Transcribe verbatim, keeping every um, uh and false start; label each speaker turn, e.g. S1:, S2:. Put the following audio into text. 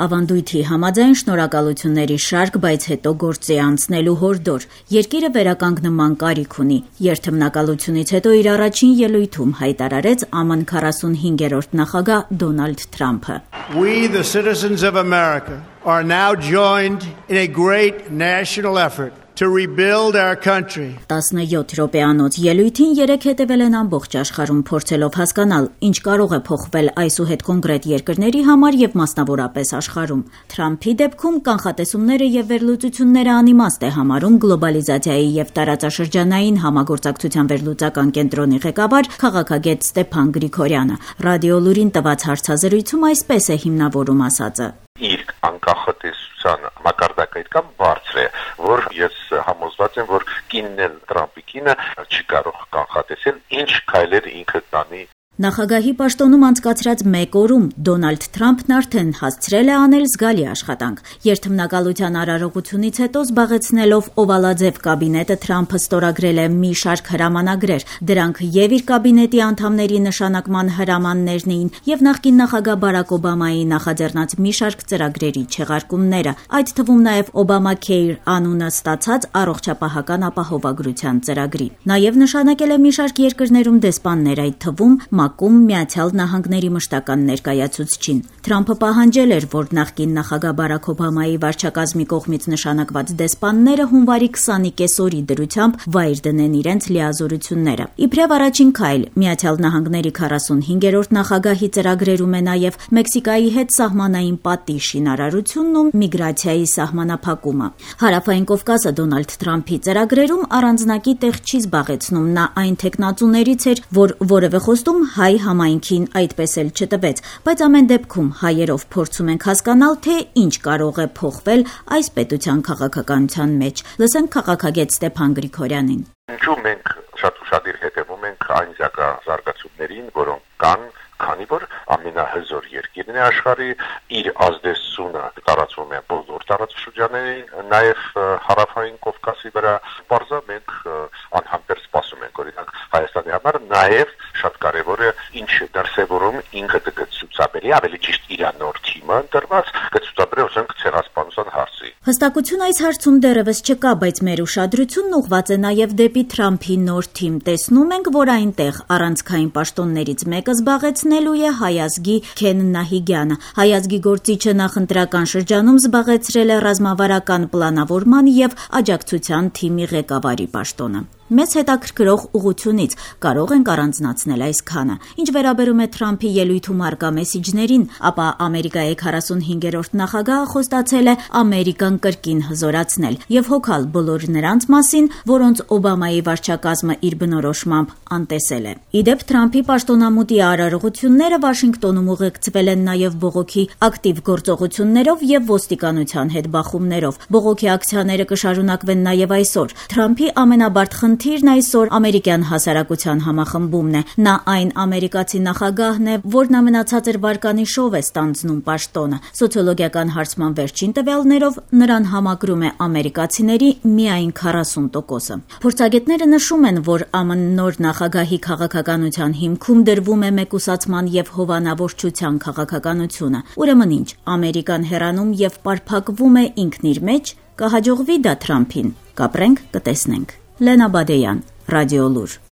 S1: Ավանդույթի համաձայն շնորհակալությունների շարք, բայց հետո գործի անցնելու հորդոր։ Երկիրը վերականգնման կարիք ունի։ Երթմնակալությունից հետո իր առաջին ելույթում հայտարարեց ԱՄՆ քառասունհինգերորդ նախագահ Դոնալդ Թրամփը.
S2: We, the citizens of America, are now joined in a great national effort to rebuild our country.
S1: տասնյոթ րոպեանոց ելույթին երեք հետևել են ամբողջ աշխարհում, փորձելով հասկանալ, ինչ կարող է փոխվել այսուհետ կոնկրետ երկրների համար եւ մասնավորապես աշխարհում։ Թրամփի դեպքում կանխատեսումները եւ վերլուծությունները անիմաստ է համարում գլոբալիզացիայի եւ տարածաշրջանային համագործակցության վերլուծական կենտրոնի ղեկավար քաղաքագետ Ստեփան Գրիգորյանը։ Ռադիո Լուրին տված հարցազրույցում այսպես է հիմնավորում ասածը.
S3: Իր անկախատեսության մակարդակը այդքան բարձր է, որ ես համոզված եմ, որ կինն էլ Թրամփի կինը չի կարող կանխատեսել ինչ քայլեր ինքը տանի։
S1: Նախագահի պաշտոնում անցկացրած մեկ օրում Դոնալդ Թրամփն արդեն հասցրել է անել զգալի աշխատանք։ Երթմնակալության արարողությունից հետո զբաղեցնելով օվալաձև կաբինետը Թրամփը ստորագրել է մի շարք հրամանագրեր։ Դրանք եւ իր կաբինետի անդամների նշանակման հրամաններն էին եւ նախկին նախագահ Բարակ Օբամայի նախաձեռնած մի շարք ծրագրերի չեղարկումները, այդ թվում նաեւ Obamacare անունը ստացած առողջապահական ապահովագրության ծրագրի։ Նաեւ նշանակել է մի շարք երկրներում դեսպաններ, այդ թվում Մակում Միացյալ Նահանգների մշտական ներկայացուցչին։ Թրամփը պահանջել էր, որ նախկին նախագահ Բարակ Օբամայի վարչակազմի կողմից նշանակված դեսպանները հունվարի քսանի կեսօրի դրությամբ վայր դնեն իրենց լիազորությունները։ Իբրև առաջին քայլ Միացյալ Նահանգների քառասունհինգերորդ նախագահի ծրագրերում է նաև Մեքսիկայի հետ սահմանային պատի շինարարությունն ու միգրացիայի սահմանափակումը։ Հարավային Կովկասը Դոնալդ Թրամփի ծրագրերում առանձնակի տեղ չի զբաղեցնում։ Նա այն տեխնացուներից էր, որ որևէ խոստում հայ համայնքին այդպես էլ չտվեց, բայց ամեն դեպքում հայերով փորձում ենք հասկանալ, թե ինչ կարող է փոխվել այս պետության քաղաքականության մեջ։ Լսենք քաղաքագետ Ստեփան Գրիգորյանին։
S3: Ինչու մենք շատ ուշադիր հետևում ենք այն զարգացումներին, որոնք կան, քանի որ ամենահզոր երկիրն է աշխարհի, իր ազդեցությունը տարածվում է բոլոր տարածաշրջաններին, նաև հարավային Կովկասի վրա։ Բարձր մենք անհամբեր սպասում ենք, օրինակ Հայաստանի համար նաև շատ կարևոր է ինչ դրսևորում ինքը կցուցաբերի, ավելի ճիշտ իր նոր թիմը ընտրված կցուցաբերի ասենք ցեղասպանության հարցի։
S1: Հստակություն այս հարցում դեռևս չկա, բայց մեր ուշադրությունն ուղղված է նաև դեպի Թրամփի նոր թիմ։ Տեսնում ենք, որ այնտեղ առանցքային պաշտոններից մեկը զբաղեցնելու է հայազգի Քեն Նահիգյանը։ Հայազգի գործիչը նախընտրական շրջանում զբաղեցրել է ռազմավարական պլանավորման եւ աջակցության թիմի ղեկավարի պաշտոնը։ Մեծ հետաքրքրող ուղությունից կարող ենք առանձնացնել այսքանը։ Ինչ վերաբերում է Թրամփի ելույթում արկա մեսիջներին, ապա Ամերիկայի քառասունհինգերորդ նախագահը խոստացել է Ամերիկան կրկին հզորացնել եւ հոգալ բոլոր նրանց մասին, որոնց Օբամայի վարչակազմը իր բնորոշմամբ անտեսել է։ Իդեպ Թրամփի պաշտոնամուտի արարողությունները Վաշինգտոնում ուղեկցվել են նաեւ բողոքի ակտիվ գործողություններով եւ ոստիկանության հետ բախումներով։ Բողոքի ակցիաները կշարունակվեն նաեւ այսօր։ Թրամփի ամենաբարդ խնդիրն այսօր ամերիկյան հասարակության համախմբումն է։ Նա այն ամերիկացի նախագահն է, որն ամենացածր վարկանիշով է ստանձնում պաշտոնը։ Սոցիոլոգիական հարցման վերջին տվյալներով նրան համակրում է ամերիկացիների միայն քառասուն տոկոսը։ Փորձագետները նշում են, որ ԱՄՆ նոր նախագահի քաղաքականության հիմքում դրվում է մեկուսացման եւ հովանավորչության քաղաքականությունը։ Ուրեմն ինչ, Ամերիկան հեռանում եւ պարփակվում է ինքն իր մեջ, կհաջողվի դա Թրամփին։ Կապրենք, կտեսնենք։ Լենա Բադեյան, Ռադիո Լուր։